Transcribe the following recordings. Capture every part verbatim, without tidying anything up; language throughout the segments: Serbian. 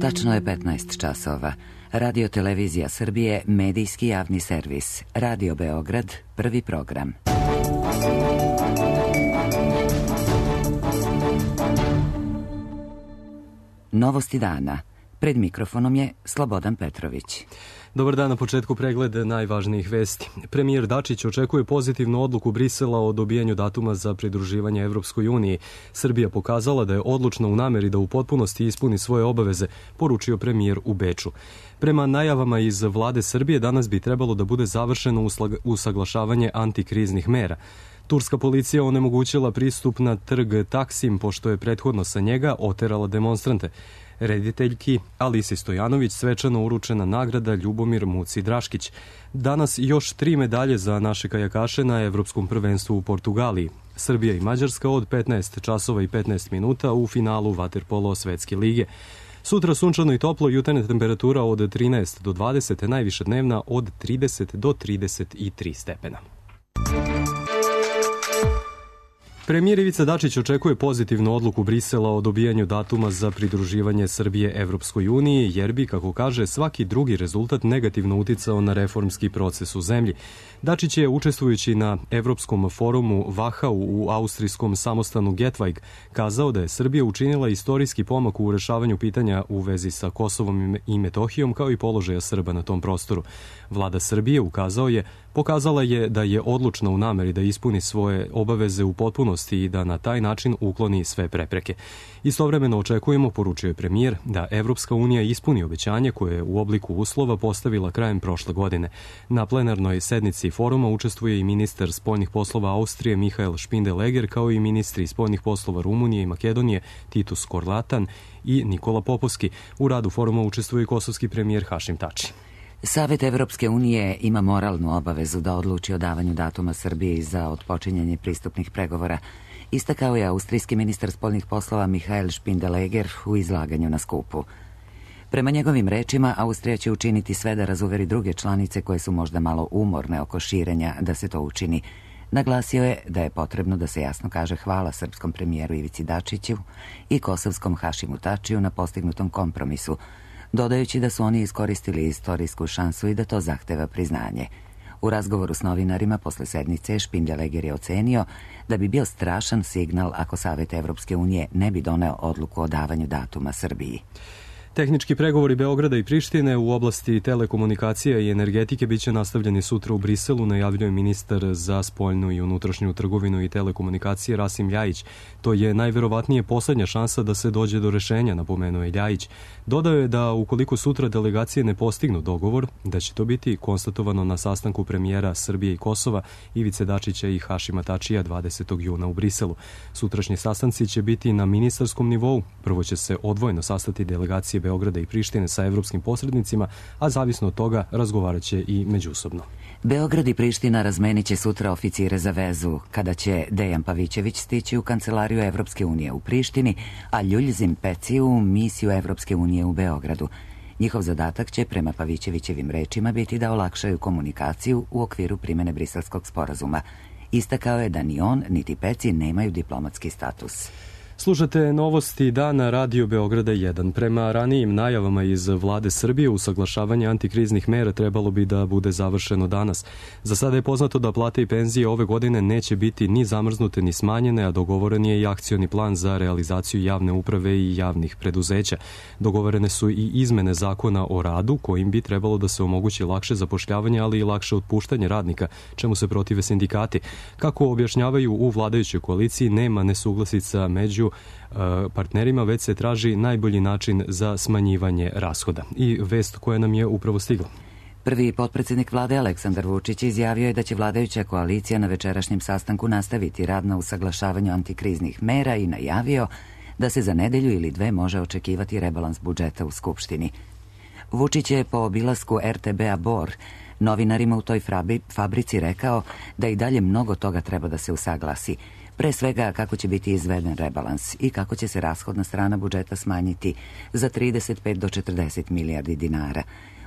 Tačno je petnaest časova. Radio Televizija Srbije, medijski javni servis. Radio Beograd, prvi program. Novosti dana. Pred mikrofonom je Slobodan Petrović. Dobar dan, na početku pregled najvažnijih vesti. Premijer Dačić očekuje pozitivnu odluku Brisela o dobijanju datuma za pridruživanje Evropskoj uniji. Srbija pokazala da je odlučna u nameri da u potpunosti ispuni svoje obaveze, poručio premijer u Beču. Prema najavama iz vlade Srbije, danas bi trebalo da bude završeno usaglašavanje antikriznih mera. Turska policija onemogućila pristup na trg Taksim, pošto je prethodno sa njega oterala demonstrante. Rediteljki Alisi Stojanović svečano uručena nagrada Ljubomir Muci Draškić. Danas još tri medalje za naše kajakaše na Evropskom prvenstvu u Portugaliji. Srbija i Mađarska od petnaest časova i petnaest minuta u finalu vaterpolo Svetske lige. Sutra sunčano i toplo, jutarnja temperatura od trinaest do dvadeset, najviša dnevna od trideset do trideset tri stepena. Premijer Ivica Dačić očekuje pozitivnu odluku Brisela o dobijanju datuma za pridruživanje Srbije Evropskoj uniji, jer bi, kako kaže, svaki drugi rezultat negativno uticao na reformski proces u zemlji. Dačić je, učestvujući na Evropskom forumu Vahau u austrijskom samostanu Getweig, kazao da je Srbija učinila istorijski pomak u rešavanju pitanja u vezi sa Kosovom i Metohijom, kao i položaja Srba na tom prostoru. Vlada Srbije, ukazao je, pokazala je da je odlučna u nameri da ispuni svoje obaveze u potpunosti i da na taj način ukloni sve prepreke. Istovremeno očekujemo, poručio je premijer, da Evropska unija ispuni obećanje koje je u obliku uslova postavila krajem prošle godine. Na plenarnoj sednici foruma učestvuje i ministar spoljnih poslova Austrije Mihael Špindeleger, kao i ministri spoljnih poslova Rumunije i Makedonije Titus Korlatan i Nikola Popovski. U radu foruma učestvuje i kosovski premijer Hašim Tači. Savet Evropske unije ima moralnu obavezu da odluči o davanju datuma Srbiji za otpočinjanje pristupnih pregovora, istakao je austrijski ministar spoljnih poslova Mihael Špindeleger u izlaganju na skupu. Prema njegovim rečima, Austrija će učiniti sve da razuveri druge članice koje su možda malo umorne oko širenja da se to učini. Naglasio je da je potrebno da se jasno kaže hvala srpskom premijeru Ivici Dačiću i kosovskom Hašimu Tačiju na postignutom kompromisu, dodajući da su oni iskoristili istorijsku šansu i da to zahteva priznanje. U razgovoru s novinarima posle sednice Špindeleger je ocenio da bi bio strašan signal ako Savet Evropske unije ne bi doneo odluku o davanju datuma Srbiji. Tehnički pregovori Beograda i Prištine u oblasti telekomunikacija i energetike biće nastavljeni sutra u Briselu, najavljuje ministar za spoljnu i unutrašnju trgovinu i telekomunikacije Rasim Ljajić. To je najverovatnije poslednja šansa da se dođe do rešenja, napomenuo je Ljajić. Dodao je da ukoliko sutra delegacije ne postignu dogovor, da će to biti konstatovano na sastanku premijera Srbije i Kosova Ivice Dačića i Hašima Tačija dvadesetog juna u Briselu. Sutrašnji sastanci će biti na ministarskom nivou. Prvo će se odvojeno sastati delegacije Beograda i Prištine sa evropskim posrednicima, a zavisno od toga razgovarat će i međusobno. Beograd i Priština razmenit će sutra oficire za vezu, kada će Dejan Pavićević stići u kancelariju Evropske unije u Prištini, a Ljuljzim Peci u misiju Evropske unije u Beogradu. Njihov zadatak će, prema Pavićevićevim rečima, biti da olakšaju komunikaciju u okviru primene Briselskog sporazuma. Istakao je da ni on, niti Peci nemaju diplomatski status. Slušate novosti dana Radio Beograda jedan. Prema ranijim najavama iz vlade Srbije, usaglašavanje antikriznih mera trebalo bi da bude završeno danas. Za sada je poznato da plate i penzije ove godine neće biti ni zamrznute ni smanjene, a dogovoren je i akcioni plan za realizaciju javne uprave i javnih preduzeća. Dogovorene su i izmene zakona o radu, kojim bi trebalo da se omogući lakše zapošljavanje, ali i lakše otpuštanje radnika, čemu se protive sindikati. Kako objašnjavaju u vladajućoj koaliciji, nema nesuglasica među partnerima, već se traži najbolji način za smanjivanje rashoda. I vest koja nam je upravo stigla. Prvi potpredsednik vlade Aleksandar Vučić izjavio je da će vladajuća koalicija na večerašnjem sastanku nastaviti rad na usaglašavanju antikriznih mera i najavio da se za nedelju ili dve može očekivati rebalans budžeta u Skupštini. Vučić je po obilasku er te be-a Bor novinarima u toj fabrici rekao da i dalje mnogo toga treba da se usaglasi. Pre svega kako će biti izveden rebalans i kako će se rashodna strana budžeta smanjiti za trideset pet do četrdeset milijardi dinara.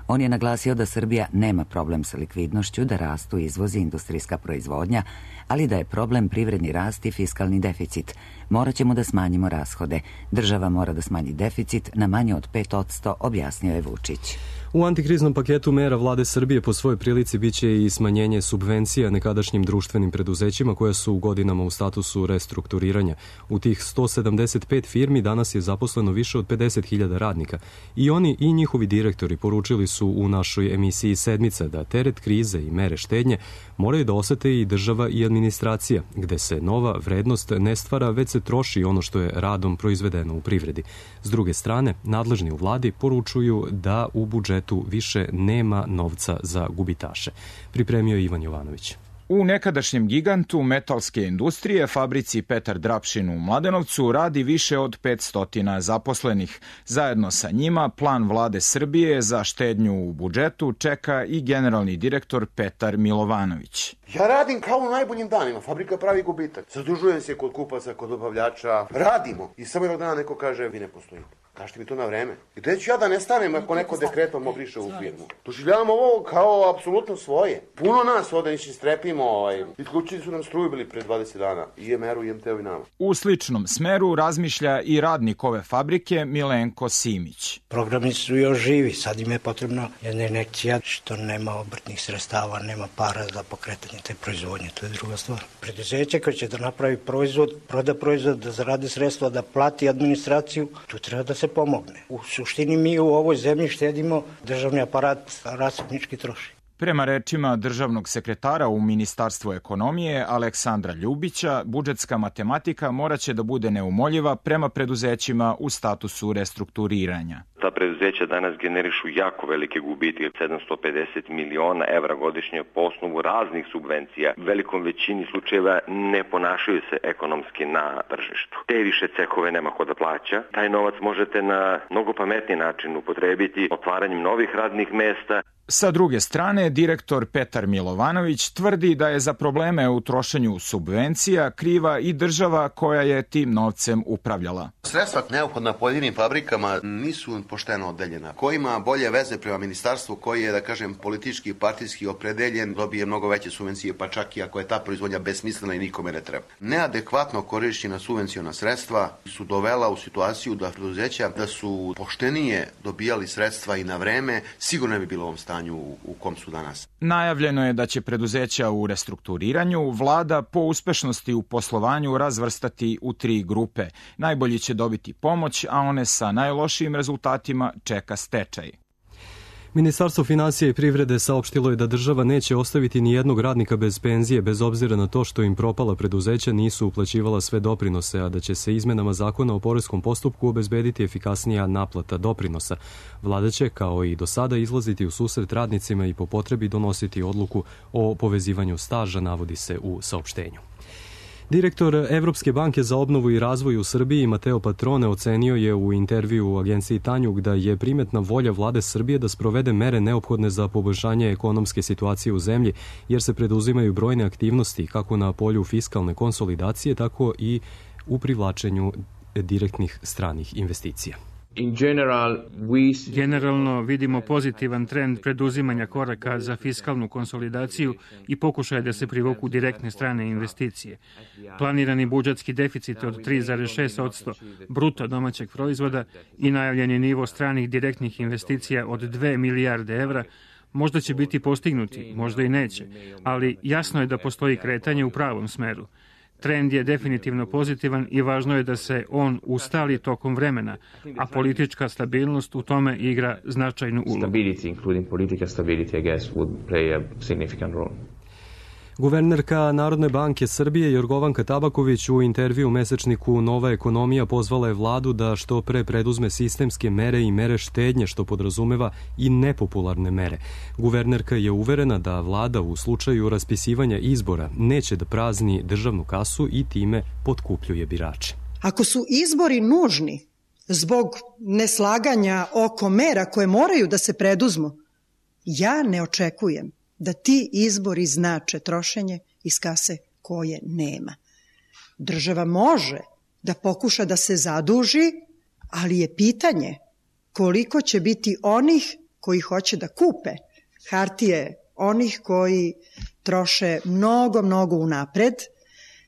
On je naglasio da Srbija nema problem sa likvidnošću, da rastu izvozi industrijska proizvodnja, ali da je problem privredni rast i fiskalni deficit. Morat ćemo da smanjimo rashode. Država mora da smanji deficit na manje od pet posto, objasnio je Vučić. U antikriznom paketu mera vlade Srbije po svojoj prilici biće i smanjenje subvencija nekadašnjim društvenim preduzećima koja su u godinama u statusu restrukturiranja. U tih sto sedamdeset pet firmi danas je zaposleno više od pedeset hiljada radnika. I oni i njihovi direktori poručili su u našoj emisiji Sedmica da teret krize i mere štednje moraju da osete i država i administracija, gde se nova vrednost ne stvara, već se troši ono što je radom proizvedeno u privredi. S druge strane, nadležni u vladi poručuju da u budžetu tu više nema novca za gubitaše. Pripremio je Ivan Jovanović. U nekadašnjem gigantu metalske industrije, fabrici Petar Drapšin u Mladenovcu, radi više od petsto zaposlenih. Zajedno sa njima plan vlade Srbije za štednju u budžetu čeka i generalni direktor Petar Milovanović. Ja radim kao u najboljim danima, fabrika pravi gubitak. Zadužujem se kod kupaca, kod dobavljača, radimo. I samo jednog dana neko kaže, vi ne postojite. Kažete mi to na vreme. I gde ću ja da nestanem ako neko dekretom obriše u firmu? Doživljavamo ovo kao apsolutno svoje. Puno nas ovde niši strepimo, ovaj. Isključili su nam struju bili pre dvadeset dana. I em er-u i em te-u i nama. U sličnom smeru razmišlja i radnik ove fabrike Milenko Simić. Programi su još živi, sad im je potrebno jedna injekcija što nema obrtnih sredstava, nema para za pokretanje te proizvodnje, to je druga stvar. Preduzeće koje će da napravi proizvod, proda proizvod, da zaradi sredstva, da plati administraciju, tu treba da se pomogne. U suštini mi u ovoj zemlji štedimo, državni aparat rasipnički troši. Prema rečima državnog sekretara u Ministarstvu ekonomije Aleksandra Ljubića, budžetska matematika moraće da bude neumoljiva prema preduzećima u statusu restrukturiranja. Ta preduzeća danas generišu jako velike gubitke, sedamsto pedeset miliona evra godišnje po osnovu raznih subvencija. U velikom većini slučajeva ne ponašaju se ekonomski na tržištu. Te više cehove nema ko da plaća. Taj novac možete na mnogo pametniji način upotrebiti otvaranjem novih radnih mesta. Sa druge strane, direktor Petar Milovanović tvrdi da je za probleme u trošenju subvencija kriva i država koja je tim novcem upravljala. Sredstva neophodna pojedinim fabrikama nisu pošteno odeljena. Ko ima bolje veze prema ministarstvu, koji je, da kažem, politički i partijski opredeljen, dobije mnogo veće subvencije, pa čak i ako je ta proizvodnja besmislena i nikome ne treba. Neadekvatno korišćena subvencijona sredstva su dovela u situaciju da preduzeća da su poštenije dobijali sredstva i na vreme, sigurno ne bi bilo u ovom stanju u kom su danas. Najavljeno je da će preduzeća u restrukturiranju vlada po uspešnosti u poslovanju razvrstati u tri grupe. Najbolji će dobiti pomoć, a one sa najlošijim rezultatima čeka stečaj. Ministarstvo finansija i privrede saopštilo je da država neće ostaviti ni jednog radnika bez penzije, bez obzira na to što im propala preduzeća nisu uplaćivala sve doprinose, a da će se izmenama zakona o poreskom postupku obezbediti efikasnija naplata doprinosa. Vlada će, kao i do sada, izlaziti u susret radnicima i po potrebi donositi odluku o povezivanju staža, navodi se u saopštenju. Direktor Evropske banke za obnovu i razvoj u Srbiji Mateo Patrone ocenio je u intervju u agenciji Tanjug da je primetna volja vlade Srbije da sprovede mere neophodne za poboljšanje ekonomske situacije u zemlji, jer se preduzimaju brojne aktivnosti kako na polju fiskalne konsolidacije, tako i u privlačenju direktnih stranih investicija. Generalno vidimo pozitivan trend preduzimanja koraka za fiskalnu konsolidaciju i pokušaje da se privuku direktne strane investicije. Planirani budžetski deficit od tri zarez šest posto bruto domaćeg proizvoda i najavljeni nivo stranih direktnih investicija od dve milijarde evra možda će biti postignuti, možda i neće, ali jasno je da postoji kretanje u pravom smeru. Trend je definitivno pozitivan i važno je da se on ustali tokom vremena, a politička stabilnost u tome igra značajnu ulogu. Guvernerka Narodne banke Srbije Jorgovanka Tabaković u intervju u mesečniku Nova ekonomija pozvala je vladu da što pre preduzme sistemske mere i mere štednje, što podrazumeva i nepopularne mere. Guvernerka je uverena da vlada u slučaju raspisivanja izbora neće da prazni državnu kasu i time potkupljuje birače. Ako su izbori nužni zbog neslaganja oko mera koje moraju da se preduzmu, ja ne očekujem da ti izbori znače trošenje iz kase koje nema. Država može da pokuša da se zaduži, ali je pitanje koliko će biti onih koji hoće da kupe hartije onih koji troše mnogo, mnogo unapred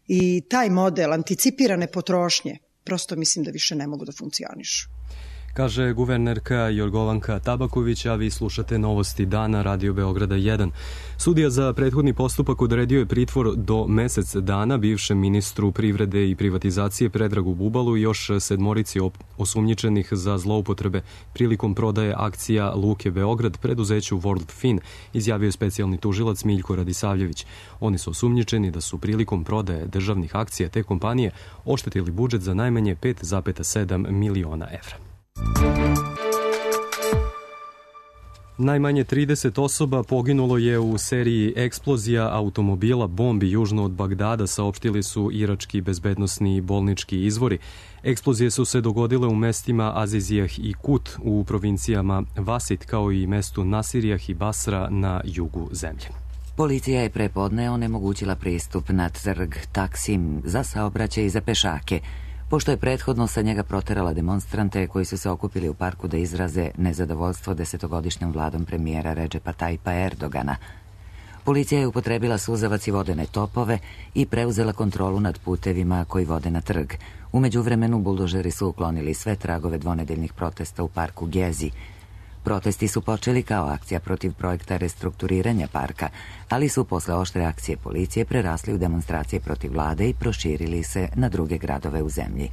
i taj model anticipirane potrošnje prosto mislim da više ne mogu da funkcionišu. Kaže guvernerka Jorgovanka Tabaković, a vi slušate Novosti dana Radio Beograda jedan. Sudija za prethodni postupak odredio je pritvor do mesec dana bivšem ministru privrede i privatizacije Predragu Bubalu i još sedmorici osumnjičenih za zloupotrebe prilikom prodaje akcija Luke Beograd preduzeću World Fin, izjavio je specijalni tužilac Miljko Radisavljević. Oni su osumnjičeni da su prilikom prodaje državnih akcija te kompanije oštetili budžet za najmanje pet zarez sedam miliona evra. Najmanje trideset osoba poginulo je u seriji eksplozija automobila bombi južno od Bagdada, saopštili su irački bezbednosni i bolnički izvori. Eksplozije su se dogodile u mestima Azizijah i Kut u provincijama Vasit, kao i mestu Nasirijah i Basra na jugu zemlje. Policija je prepodne onemogućila pristup na trg Taksim za saobraćaj i za pešake, pošto je prethodno sa njega proterala demonstrante koji su se okupili u parku da izraze nezadovoljstvo desetogodišnjom vladom premijera Redžepa Tajipa Erdogana. Policija je upotrebila suzavac i vodene topove i preuzela kontrolu nad putevima koji vode na trg. U međuvremenu buldožeri su uklonili sve tragove dvonedeljnih protesta u parku Gezi. Protesti su počeli kao akcija protiv projekta restrukturiranja parka, ali su posle oštre akcije policije prerasli u demonstracije protiv vlade i proširili se na druge gradove u zemlji.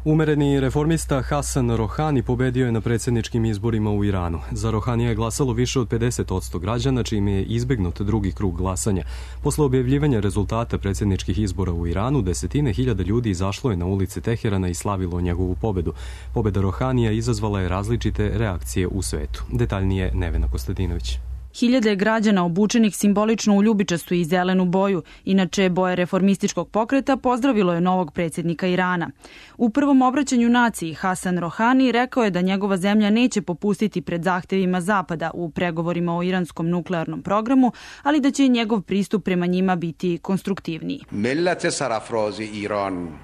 Umereni reformista Hasan Rohani pobedio je na predsjedničkim izborima u Iranu. Za Rohanija je glasalo više od pedeset posto građana, čime je izbegnut drugi krug glasanja. Posle objavljivanja rezultata predsjedničkih izbora u Iranu, desetine hiljada ljudi izašlo je na ulice Teherana i slavilo njegovu pobedu. Pobeda Rohanija izazvala je različite reakcije u svetu. Detaljnije Nevena Kostadinović. Hiljade građana obučenih simbolično u ljubičastu i zelenu boju, inače boje reformističkog pokreta, pozdravilo je novog predsjednika Irana. U prvom obraćanju naciji Hasan Rohani rekao je da njegova zemlja neće popustiti pred zahtevima Zapada u pregovorima o iranskom nuklearnom programu, ali da će njegov pristup prema njima biti konstruktivniji.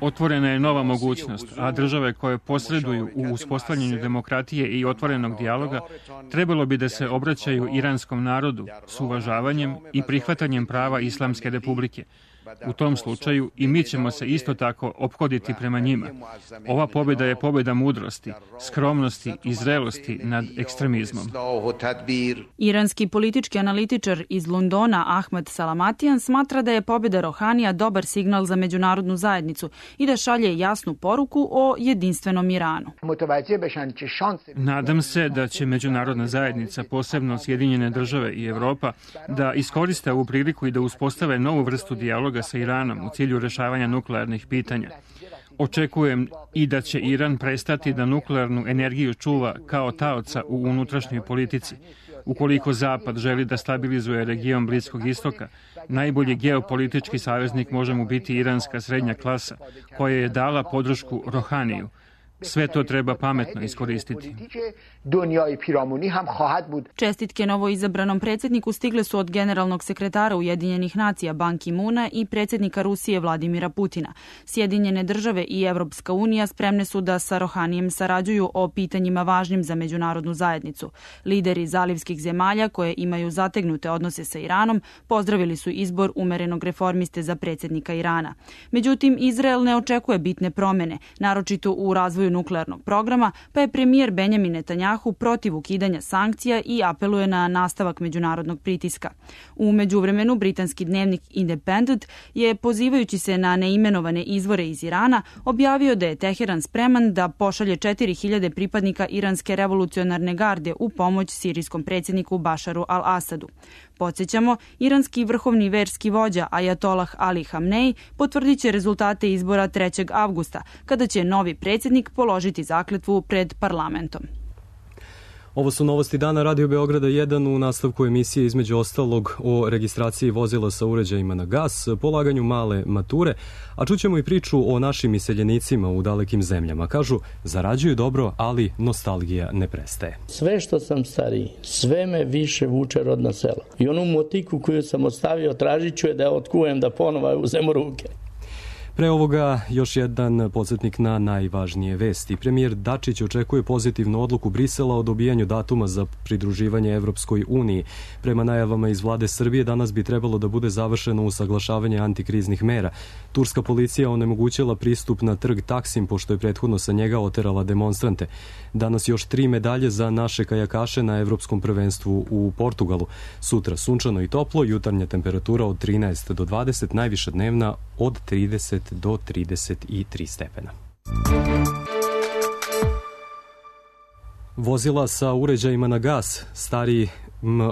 Otvorena je nova mogućnost, a države koje posreduju u uspostavljanju demokratije i otvorenog dijaloga trebalo bi da se obraćaju iranskom narodu s uvažavanjem i prihvatanjem prava Islamske republike. U tom slučaju i mi ćemo se isto tako ophoditi prema njima. Ova pobjeda je pobjeda mudrosti, skromnosti i zrelosti nad ekstremizmom. Iranski politički analitičar iz Londona Ahmed Salamatian smatra da je pobjeda Rohanija dobar signal za međunarodnu zajednicu i da šalje jasnu poruku o jedinstvenom Iranu. Nadam se da će međunarodna zajednica, posebno Sjedinjene države i Evropa, da iskoriste ovu priliku i da uspostave novu vrstu dijaloga sa Iranom u cilju rešavanja nuklearnih pitanja. Očekujem i da će Iran prestati da nuklearnu energiju čuva kao taoca u unutrašnjoj politici. Ukoliko Zapad želi da stabilizuje region Bliskog istoka, najbolji geopolitički saveznik može mu biti iranska srednja klasa, koja je dala podršku Rohaniju. Sve to treba pametno iskoristiti. Čestitke novoizabranom predsjedniku stigle su od generalnog sekretara Ujedinjenih nacija Ban Ki-muna i predsjednika Rusije Vladimira Putina. Sjedinjene države i Evropska unija spremne su da sa Rohanijem sarađuju o pitanjima važnim za međunarodnu zajednicu. Lideri zalivskih zemalja koje imaju zategnute odnose sa Iranom pozdravili su izbor umerenog reformiste za predsjednika Irana. Međutim, Izrael ne očekuje bitne promjene, naročito u razvoju nuklearnog programa, pa je premijer Benjamin Netanjahu protiv ukidanja sankcija i apeluje na nastavak međunarodnog pritiska. U međuvremenu britanski dnevnik Independent je, pozivajući se na neimenovane izvore iz Irana, objavio da je Teheran spreman da pošalje četiri hiljade pripadnika iranske revolucionarne garde u pomoć sirijskom predsjedniku Bašaru al-Asadu. Podsjećamo, iranski vrhovni verski vođa Ajatolah Ali Hamnej potvrdit će rezultate izbora trećeg avgusta, kada će novi predsjednik položiti zakletvu pred parlamentom. Ovo su novosti dana Radio Beograda jedan, u nastavku emisije između ostalog o registraciji vozila sa uređajima na gas, polaganju male mature, a čućemo i priču o našim iseljenicima u dalekim zemljama. Kažu, zarađuju dobro, ali nostalgija ne prestaje. Sve što sam stariji, sve me više vuče rodno selo. I onu motiku koju sam ostavio, tražit ću je da je otkujem, da ponovo uzem u ruke. Pre ovoga još jedan podsjetnik na najvažnije vesti. Premijer Dačić očekuje pozitivnu odluku Brisela o dobijanju datuma za pridruživanje Evropskoj uniji. Prema najavama iz vlade Srbije danas bi trebalo da bude završeno usaglašavanje antikriznih mera. Turska policija onemogućila pristup na trg Taksim pošto je prethodno sa njega oterala demonstrante. Danas još tri medalje za naše kajakaše na Evropskom prvenstvu u Portugalu. Sutra sunčano i toplo, jutarnja temperatura od trinaest do dvadeset, najviša dnevna od trideset do trideset tri stepena. Vozila sa uređajima na gas stariji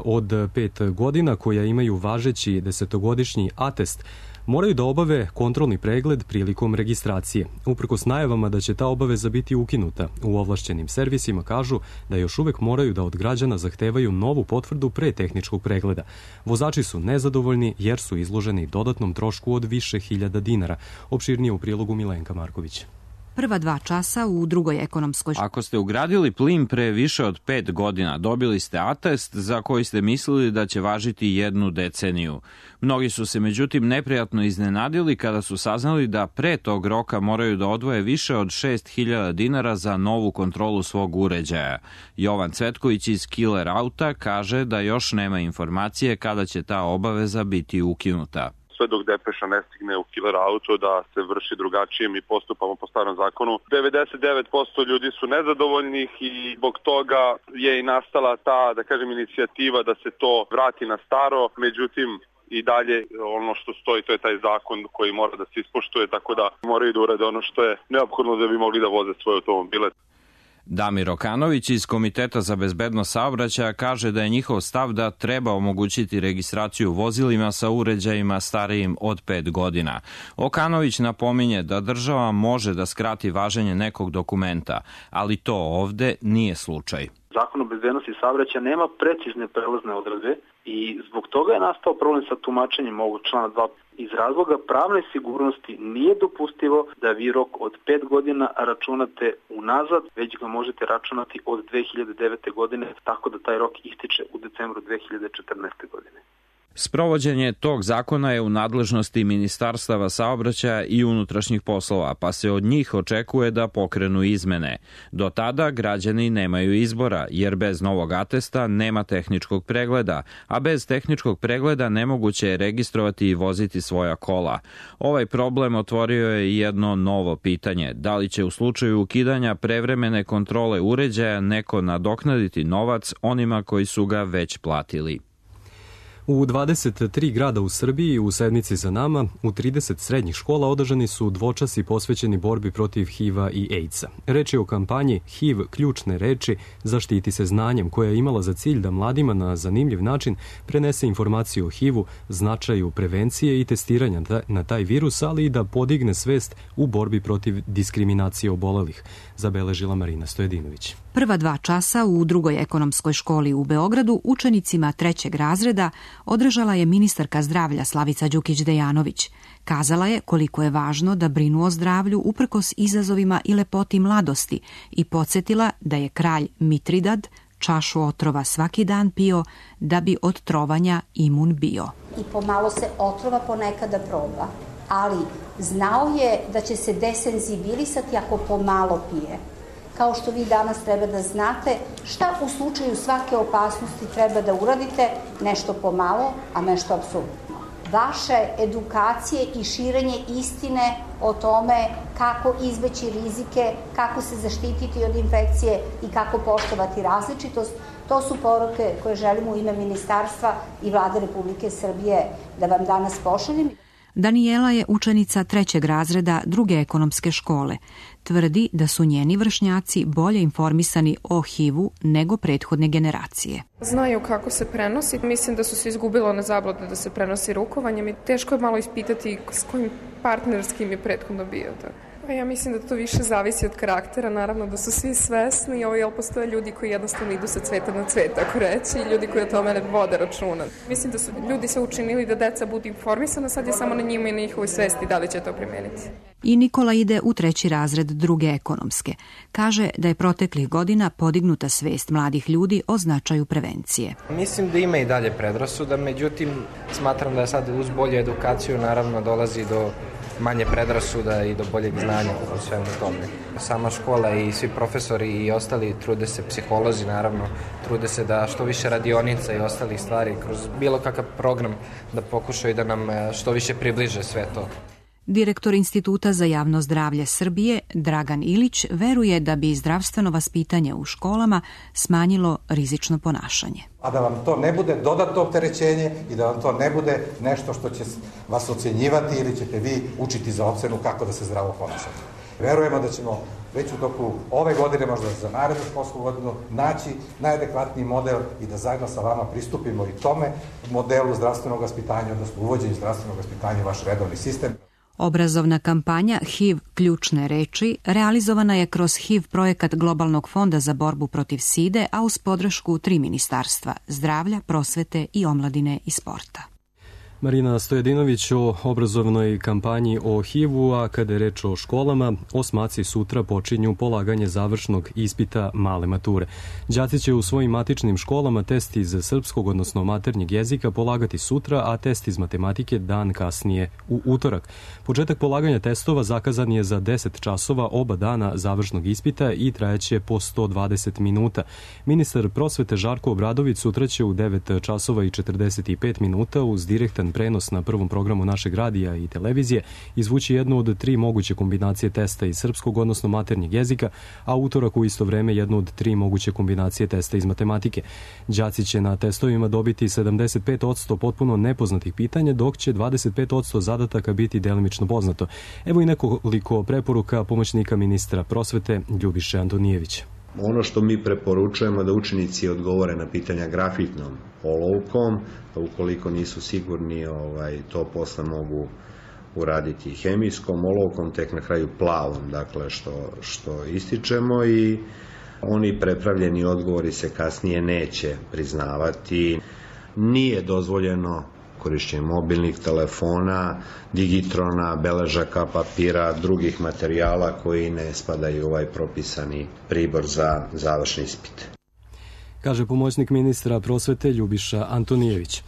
od pet godina koja imaju važeći desetogodišnji atest moraju da obave kontrolni pregled prilikom registracije. Uprkos najavama da će ta obaveza biti ukinuta, u ovlašćenim servisima kažu da još uvek moraju da od građana zahtevaju novu potvrdu pre tehničkog pregleda. Vozači su nezadovoljni jer su izloženi dodatnom trošku od više hiljada dinara. Opširnije u prilogu Milenka Marković. Prva dva časa u drugoj ekonomskoj školi. Ako ste ugradili plin pre više od pet godina, dobili ste atest za koji ste mislili da će važiti jednu deceniju. Mnogi su se međutim neprijatno iznenadili kada su saznali da pre tog roka moraju da odvoje više od šest hiljada dinara za novu kontrolu svog uređaja. Jovan Cvetković iz Killer Auta kaže da još nema informacije kada će ta obaveza biti ukinuta. Sve dok depeša ne stigne u Killer Auto da se vrši drugačije, mi postupamo po starom zakonu. devedeset devet posto ljudi su nezadovoljnih i zbog toga je i nastala ta, da kažem, inicijativa da se to vrati na staro. Međutim, i dalje ono što stoji, to je taj zakon koji mora da se ispoštuje, tako da moraju da urade ono što je neophodno da bi mogli da voze svoje automobile. Damir Okanović iz Komiteta za bezbednost saobraćaja kaže da je njihov stav da treba omogućiti registraciju vozilima sa uređajima starijim od pet godina. Okanović napominje da država može da skrati važenje nekog dokumenta, ali to ovde nije slučaj. Zakon o bezbednosti saobraćaja nema precizne prelazne odredbe i zbog toga je nastao problem sa tumačenjem ovog člana dva. Iz razloga pravne sigurnosti nije dopustivo da vi rok od pet godina računate unazad, već ga možete računati od dve hiljade devete. godine, tako da taj rok ističe u decembru dve hiljade četrnaeste. godine. Sprovođenje tog zakona je u nadležnosti Ministarstava saobraćaja i unutrašnjih poslova, pa se od njih očekuje da pokrenu izmene. Do tada građani nemaju izbora, jer bez novog atesta nema tehničkog pregleda, a bez tehničkog pregleda nemoguće je registrovati i voziti svoja kola. Ovaj problem otvorio je jedno novo pitanje. Da li će u slučaju ukidanja prevremene kontrole uređaja neko nadoknaditi novac onima koji su ga već platili? U dvadeset tri grada u Srbiji u sedmici za nama u trideset srednjih škola održani su dvočasi posvećeni borbi protiv H I V-a i AIDS-a. Reč je o kampanji H I V ključne reči zaštiti se znanjem koja je imala za cilj da mladima na zanimljiv način prenese informaciju o H I V-u, značaju prevencije i testiranja na taj virus, ali i da podigne svest u borbi protiv diskriminacije obolelih, zabeležila Marina Stojedinović. Prva dva časa u drugoj ekonomskoj školi u Beogradu učenicima trećeg razreda održala je ministarka zdravlja Slavica Đukić-Dejanović. Kazala je koliko je važno da brinu o zdravlju uprkos izazovima i lepoti mladosti i podsjetila da je kralj Mitridad čašu otrova svaki dan pio da bi od trovanja imun bio. I pomalo se otrova ponekada proba, ali znao je da će se desenzibilisati ako pomalo pije. Kao što vi danas treba da znate šta u slučaju svake opasnosti treba da uradite, nešto pomalo, a nešto apsolutno. Vaše edukacije i širenje istine o tome kako izbeći rizike, kako se zaštititi od infekcije i kako poštovati različitost, to su poruke koje želimo u ime Ministarstva i Vlade Republike Srbije da vam danas pošaljem. Danijela je učenica trećeg razreda druge ekonomske škole. Tvrdi da su njeni vršnjaci bolje informisani o H I V-u nego prethodne generacije. Znaju kako se prenosi. Mislim da su se izgubile one zablude da se prenosi rukovanjem i teško je malo ispitati s kojim partnerskim je prethodno bio. Pa ja mislim da to više zavisi od karaktera, naravno da su svi svesni, jel postoje ljudi koji jednostavno idu sa cveta na cvet, tako reći, i ljudi koji o tome ne vode računa. Mislim da su ljudi se učinili da deca budu informisana, sad je samo na njima i na njihovoj svesti da li će to primeniti. I Nikola ide u treći razred druge ekonomske. Kaže da je proteklih godina podignuta svest mladih ljudi o značaju prevencije. Mislim da ima i dalje predrasuda, međutim smatram da sad uz bolju edukaciju naravno dolazi do manje predrasuda i do boljeg znanja u svemu tome. Sama škola i svi profesori i ostali trude se, psiholozi naravno, trude se da što više radionica i ostalih stvari kroz bilo kakav program da pokušaju da nam što više približe sve to. Direktor Instituta za javno zdravlje Srbije, Dragan Ilić, veruje da bi zdravstveno vaspitanje u školama smanjilo rizično ponašanje. A da vam to ne bude dodatno opterećenje i da vam to ne bude nešto što će vas ocjenjivati ili ćete vi učiti za ocenu kako da se zdravo ponašate. Verujemo da ćemo već u toku ove godine, možda za narednu školsku godinu, naći najadekvatniji model i da zajedno sa vama pristupimo i tome modelu zdravstvenog vaspitanja, odnosno uvođenju zdravstvenog vaspitanja u vaš redovni sistem. Obrazovna kampanja H I V ključne reči realizovana je kroz H I V projekat Globalnog fonda za borbu protiv side, a uz podršku tri ministarstva: zdravlja, prosvete i omladine i sporta. Marina Stojedinović o obrazovnoj kampanji o H I V-u, a kada je reč o školama, osmaci sutra počinju polaganje završnog ispita male mature. Đaci će u svojim matičnim školama test iz srpskog, odnosno maternjeg jezika, polagati sutra, a test iz matematike dan kasnije u utorak. Početak polaganja testova zakazan je za deset časova oba dana završnog ispita i trajaće po sto dvadeset minuta. Ministar prosvete Žarko Obradović sutra će u devet časova i četrdeset pet minuta uz direktan prenos na prvom programu našeg radija i televizije izvući jednu od tri moguće kombinacije testa iz srpskog, odnosno maternjeg jezika, a utorak u isto vreme jednu od tri moguće kombinacije testa iz matematike. Đaci će na testovima dobiti sedamdeset pet posto potpuno nepoznatih pitanja, dok će dvadeset pet posto zadataka biti delimično poznato. Evo i nekoliko preporuka pomoćnika ministra prosvete Ljubiše Antonijevića. Ono što mi preporučujemo da učenici odgovore na pitanja grafitnom olovkom, pa ukoliko nisu sigurni, ovaj, to posle mogu uraditi hemijskom olovkom, tek na kraju plavom, dakle što, što ističemo, i oni prepravljeni odgovori se kasnije neće priznavati. Nije dozvoljeno korišćenje mobilnih telefona, digitrona, beležaka, papira, drugih materijala koji ne spadaju u ovaj propisani pribor za završni ispit. Kaže pomoćnik ministra prosvete Ljubiša Antonijević.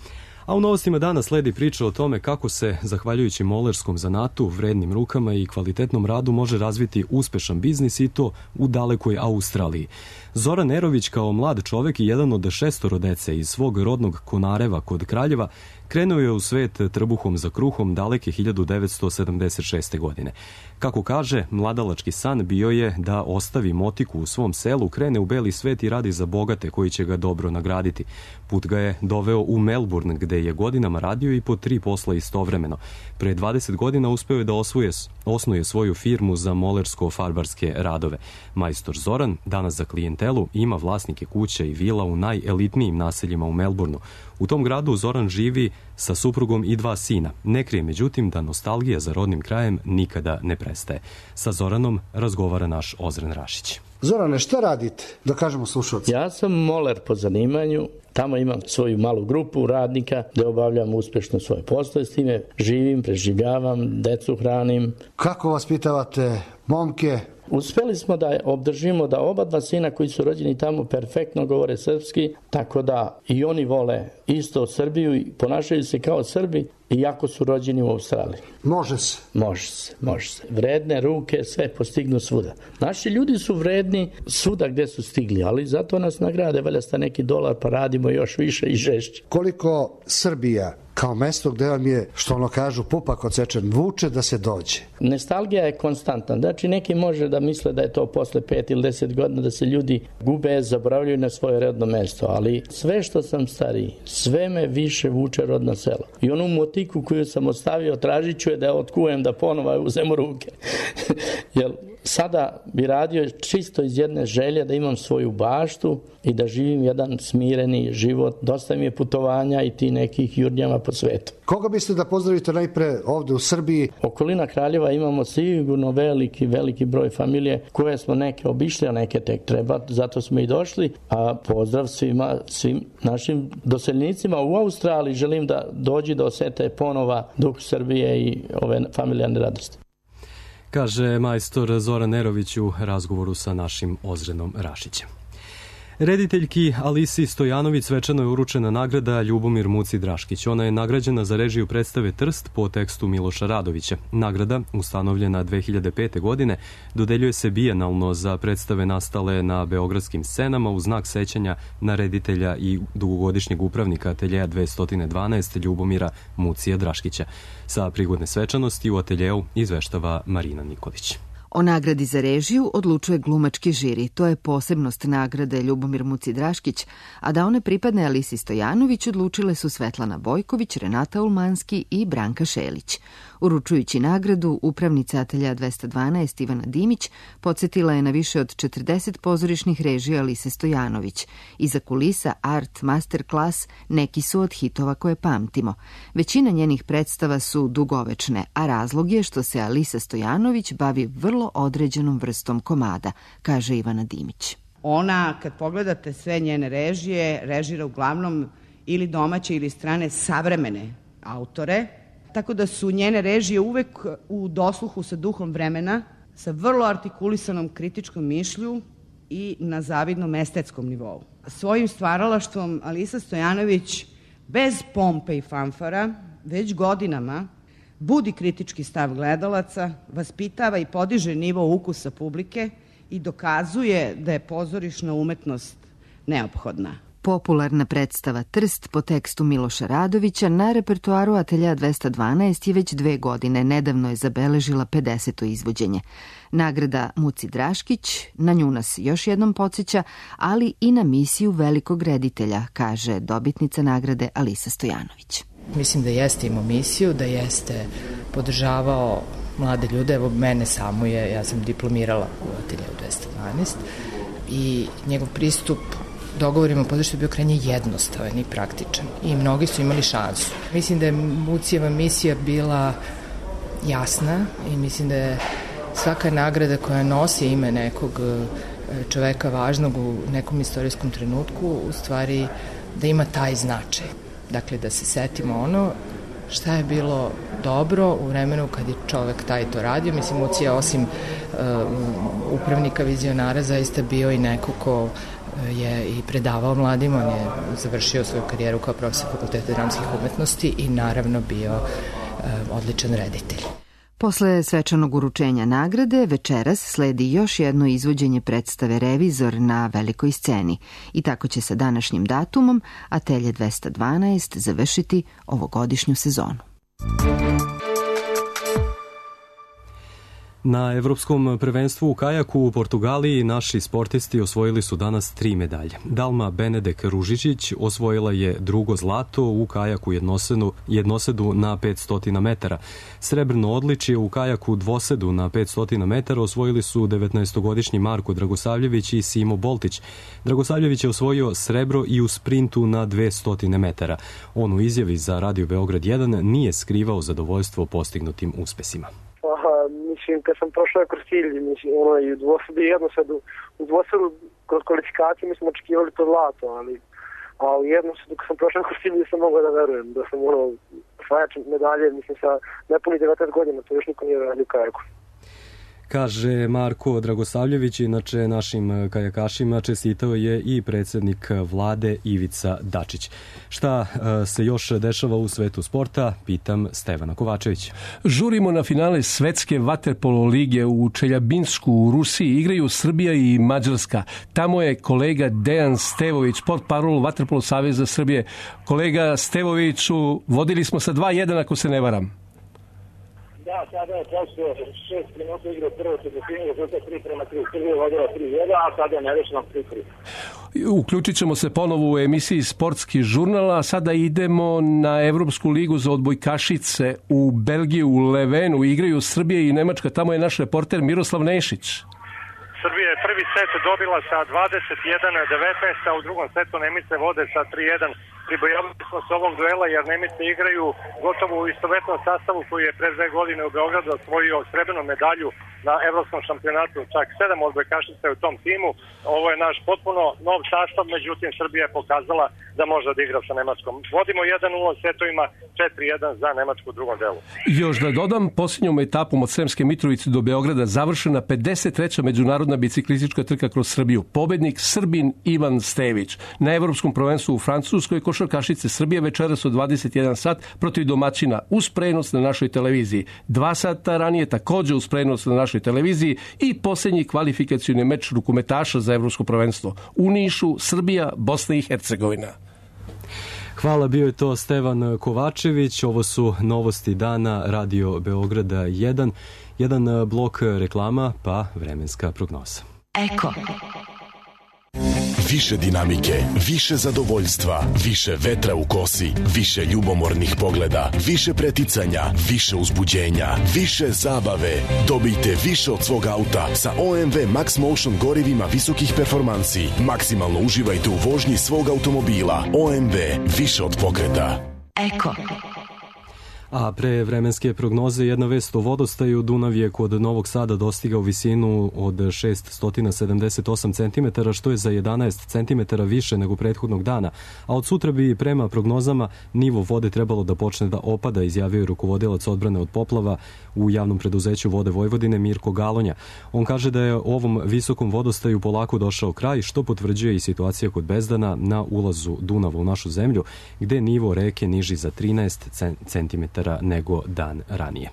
A u novostima dana sledi priča o tome kako se, zahvaljujući molerskom zanatu, vrednim rukama i kvalitetnom radu, može razviti uspešan biznis, i to u dalekoj Australiji. Zoran Nerović, kao mlad čovek i jedan od šestoro dece iz svog rodnog Konareva kod Kraljeva, krenuo je u svet trbuhom za kruhom daleke hiljadu devetsto sedamdeset šeste. godine. Kako kaže, mladalački san bio je da ostavi motiku u svom selu, krene u beli svet i radi za bogate koji će ga dobro nagraditi. Put ga je doveo u Melbourne, gde je godinama radio i po tri posla istovremeno. Pre dvadeset godina uspeo je da osvuje, osnuje svoju firmu za molersko-farbarske radove. Majstor Zoran, danas za klijentelu, ima vlasnike kuća i vila u najelitnijim naseljima u Melbourneu. U tom gradu Zoran živi sa suprugom i dva sina. Ne krije međutim da nostalgija za rodnim krajem nikada ne prestaje. Sa Zoranom razgovara naš Ozren Rašić. Zorane, šta radite? Da kažemo slušalci. Ja sam moler po zanimanju. Tamo imam svoju malu grupu radnika gde obavljam uspešno svoje posle, s time živim, preživljavam, decu hranim. Kako vaspitavate momke? Uspeli smo da obdržimo da oba dva sina koji su rođeni tamo perfektno govore srpski, tako da i oni vole isto Srbiju i ponašaju se kao Srbi, iako su rođeni u Australiji. Može se. Može se, može se. Vredne ruke sve postignu svuda. Naši ljudi su vredni svuda gde su stigli, ali zato nas nagrade, valjda sta neki dolar, pa radimo još više i žešće. Koliko Srbija kao mesto gde vam je, što ono kažu, pupak odsečen, vuče da se dođe? Nostalgija je konstantna. Znači, neki može da misle da je to posle pet ili deset godina da se ljudi gube, zaboravljaju na svoje rodno mesto, ali sve što sam stariji, sve me više vuče rodno selo. I onu motiku koju sam ostavio, tražit ću je da je otkujem, da ponova uzem u ruke. Jer sada bi radio čisto iz jedne želje da imam svoju baštu i da živim jedan smireni život. Dosta mi je putovanja i ti nekih jurnjama po svetu. Koga biste da pozdravite najpre ovde u Srbiji? Okolina Kraljeva imamo sigurno veliki, veliki broj familije koje smo neke obišli, a neke tek treba, zato smo i došli. A pozdrav svima, svim našim doseljnicima u Australiji. Želim da dođi da osete ponova duh Srbije i ove familijarne radosti. Kaže majstor Zoran Nerović u razgovoru sa našim Ozrenom Rašićem. Rediteljki Alisi Stojanović svečano je uručena nagrada Ljubomir Muci Draškić. Ona je nagrađena za režiju predstave Trst po tekstu Miloša Radovića. Nagrada, ustanovljena dve hiljade pete. godine, dodeljuje se bijenalno za predstave nastale na beogradskim scenama u znak sećanja na reditelja i dugogodišnjeg upravnika ateljeja dvesta dvanaest Ljubomira Mucija Draškića. Sa prigodne svečanosti u ateljeu izveštava Marina Nikolić. O nagradi za režiju odlučuje glumački žiri. To je posebnost nagrade Ljubomir Muci Draškić, a da one pripadne Alisi Stojanović odlučile su Svetlana Bojković, Renata Ulmanski i Branka Šelić. Uručujući nagradu, upravnica ateljeja dvesta dvanaest Ivana Dimić podsjetila je na više od četrdeset pozorišnih režija Alise Stojanović. Iza kulisa, art, masterclass, neki su od hitova koje pamtimo. Većina njenih predstava su dugovečne, a razlog je što se Alisa Stojanović bavi vrlo određenom vrstom komada, kaže Ivana Dimić. Ona, kad pogledate sve njene režije, režira uglavnom ili domaće ili strane savremene autore, tako da su njene režije uvek u dosluhu sa duhom vremena, sa vrlo artikulisanom kritičkom mišlju i na zavidnom estetskom nivou. Svojim stvaralaštvom Alisa Stojanović bez pompe i fanfara već godinama budi kritički stav gledalaca, vaspitava i podiže nivo ukusa publike i dokazuje da je pozorišna umetnost neophodna. Popularna predstava Trst po tekstu Miloša Radovića na repertoaru ateljeja dvesta dvanaest je već dve godine. Nedavno je zabeležila pedeseto izvođenje. Nagrada Muci Draškić na nju nas još jednom podsjeća, ali i na misiju velikog reditelja, kaže dobitnica nagrade Alisa Stojanović. Mislim da jeste imao misiju, da jeste podržavao mlade ljude. Evo mene samo je, ja sam diplomirala u ateljeju dvesta dvanaest i njegov pristup dogovorima podršće je bio krajnje jednostavan i praktičan i mnogi su imali šansu. Mislim da je Mucijeva misija bila jasna i mislim da je svaka nagrada koja nosi ime nekog čoveka važnog u nekom istorijskom trenutku u stvari da ima taj značaj. Dakle, da se setimo ono šta je bilo dobro u vremenu kad je čovek taj to radio. Mislim, Mucija osim uh, upravnika vizionara zaista bio i neko ko je i predavao mladima. On je završio svoju karijeru kao profesor Fakulteta dramskih umetnosti i naravno bio uh, odličan reditelj. Posle svečanog uručenja nagrade, večeras sledi još jedno izvođenje predstave Revizor na velikoj sceni. I tako će sa današnjim datumom Atelje dvesta dvanaest završiti ovogodišnju sezonu. Na Evropskom prvenstvu u kajaku u Portugaliji naši sportisti osvojili su danas tri medalje. Dalma Benedek Ružičić osvojila je drugo zlato u kajaku jednosedu, jednosedu na petsto metara. Srebrno odličje u kajaku dvosedu na petsto metara osvojili su devetnaestogodišnji Marko Dragosavljević i Simo Boltić. Dragosavljević je osvojio srebro i u sprintu na dvesta metara. On u izjavi za Radio Beograd jedan nije skrivao zadovoljstvo postignutim uspesima. Mislim, kad sam prošao kroz cilj, mislim, ono, i u dvosedu i jednosedu, u dvosedu kroz kvalifikaciju mi smo očekivali to zlato, ali, a u jednosedu kad sam prošao kroz cilj nisam mogao da verujem, da sam ono, osvajač medalje, mislim, sa nepuni devedeset godina, to još niko nije radio kajaku. Kaže Marko Dragosavljević, inače našim kajakašima čestitao je i predsjednik vlade Ivica Dačić. Šta se još dešava u svetu sporta? Pitam Stevana Kovačevića. Žurimo na finale svetske vaterpolo lige u Čeljabinsku u Rusiji. Igraju Srbija i Mađarska. Tamo je kolega Dejan Stevović, portparol Vaterpolo saveza Srbije. Kolega Stevoviću, vodili smo sa dva jedan ako se ne varam. Da, sada je prošlo šest minuta igra prvo četvrtinu, rezultat tri prema tri. Srbija je vodila tri jedan, a sada je nerešeno tri tri. Uključit ćemo se ponovo u emisiji Sportski žurnal, a sada idemo na Evropsku ligu za odbojkašice u Belgiju, u Levenu. Igraju Srbija i Nemačka, tamo je naš reporter Miroslav Nešić. Srbija je prvi set dobila sa dvadeset jedan devetnaest, a u drugom setu Nemice vode sa tri jedan pribojavali smo se ovog duela jer Nemci igraju gotovo u istovetnom sastavu koji je pre dve godine u Beogradu osvojio srebrnu medalju na evropskom šampionatu, čak sedam odbojkašica u tom timu. Ovo je naš potpuno nov sastav, međutim Srbija je pokazala da može da igra sa Nemačkom. Vodimo jedan nula setovima, četiri jedan za Nemačku u drugom delu. Još da dodam, posljednjom etapom od Sremske Mitrovice do Beograda završena pedeset treća međunarodna biciklistička trka kroz Srbiju. Pobednik Srbin Ivan Stević. Na evropskom prvenstvu u Francuskoj košarkašice Srbije večeras od dvadeset jedan sat protiv domaćina uz prenos na našoj televiziji. Dva sata ranije također uz prenos na našoj televiziji i posljednji kvalifikacioni meč rukometaša za evropsko prvenstvo. U Nišu, Srbija, Bosna i Hercegovina. Hvala, bio je to Stevan Kovačević. Ovo su novosti dana Radio Beograda jedan. Jedan blok reklama, pa vremenska prognoza. Eko. Više dinamike, više zadovoljstva, više vetra u kosi, više ljubomornih pogleda, više preticanja, više uzbuđenja, više zabave. Dobijte više od svog auta sa O M V Max Motion gorivima visokih performansi. Maksimalno uživajte u vožnji svog automobila. O M V, više od pokreta. Eko. A pre vremenske prognoze jedna vest o vodostaju. Dunav je kod Novog Sada dostigao visinu od šessto sedamdeset osam centimetara, što je za jedanaest centimetara više nego prethodnog dana. A od sutra bi prema prognozama nivo vode trebalo da počne da opada, izjavio je rukovodilac odbrane od poplava u javnom preduzeću Vode Vojvodine Mirko Galonja. On kaže da je ovom visokom vodostaju polako došao kraj, što potvrđuje i situacija kod Bezdana na ulazu Dunava u našu zemlju, gde nivo reke niži za trinaest centimetara nego dan ranije.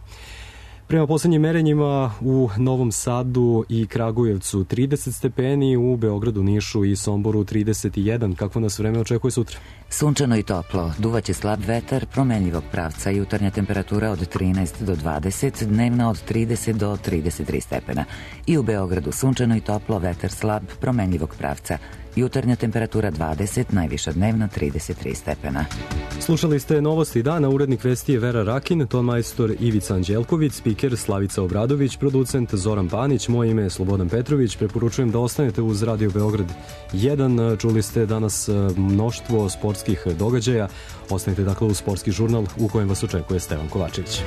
Prema poslednjim merenjima u Novom Sadu i Kragujevcu trideset stepeni, u Beogradu, Nišu i Somboru trideset jedan. Kakvo nas vreme očekuje sutra? Sunčano i toplo, duvaće slab vetar, promenljivog pravca, jutarnja temperatura od trinaest do dvadeset, dnevna od trideset do trideset tri stepena. I u Beogradu sunčano i toplo, vetar slab, promenljivog pravca, jutarnja temperatura dvadeset, najviša dnevna trideset tri stepena. Slušali ste novosti dana, urednik vesti je Vera Rakin, ton majstor Ivica Anđelković, spiker Slavica Obradović, producent Zoran Panić, moje ime je Slobodan Petrović. Preporučujem da ostanete uz Radio Beograd jedan. Čuli ste danas mnoštvo sportskih događaja. Ostanite dakle uz sportski žurnal u kojem vas očekuje Stevan Kovačević.